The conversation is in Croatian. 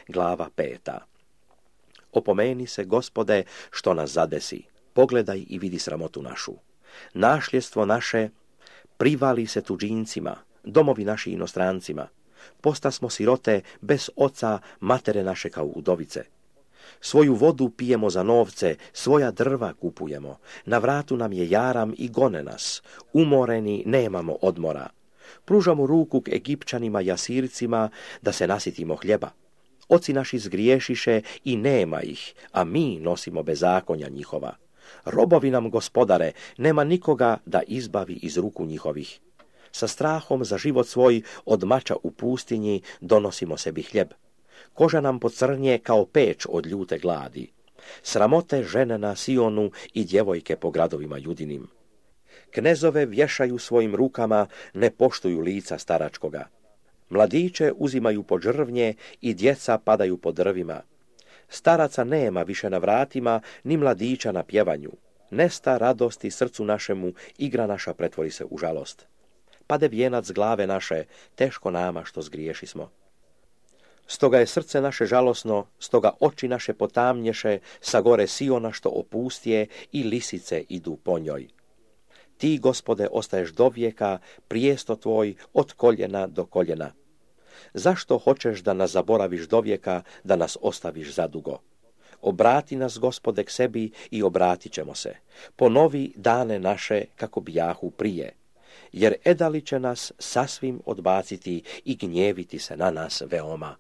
glava 5. Opomeni se, Gospode, što nas zadesi. Pogledaj i vidi sramotu našu. Našljestvo naše privali se tuđincima, domovi naši inostrancima. Postasmo sirote bez oca, matere naše kao udovice. Svoju vodu pijemo za novce, svoja drva kupujemo. Na vratu nam je jaram i gone nas. Umoreni nemamo odmora. Pružamo ruku k Egipćanima i Asircima da se nasitimo hljeba. Oci naši zgriješiše i nema ih, a mi nosimo bezakonja njihova. Robovi nam, Gospodare, nema nikoga da izbavi iz ruku njihovih. Sa strahom za život svoj od mača u pustinji donosimo sebi hljeb. Koža nam pocrnje kao peć od ljute gladi. Sramote žene na Sionu i djevojke po gradovima judinim. Knezove vješaju svojim rukama, ne poštuju lica staračkoga. Mladiće uzimaju pod žrvnje i djeca padaju po drvima. Staraca nema više na vratima, ni mladića na pjevanju. Nesta radosti srcu našemu, igra naša pretvori se u žalost. Pade vijenac s glave naše, teško nama što zgriješismo. Stoga je srce naše žalosno, stoga oči naše potamnješe, sa gore Siona što opustije i lisice idu po njoj. Ti, Gospode, ostaješ dovijeka, prijesto tvoj od koljena do koljena. Zašto hoćeš da nas zaboraviš dovijeka, da nas ostaviš zadugo? Obrati nas, Gospode, k sebi i obratit ćemo se. Ponovi dane naše kako bijahu prije, jer edali će nas sasvim odbaciti i gnjeviti se na nas veoma.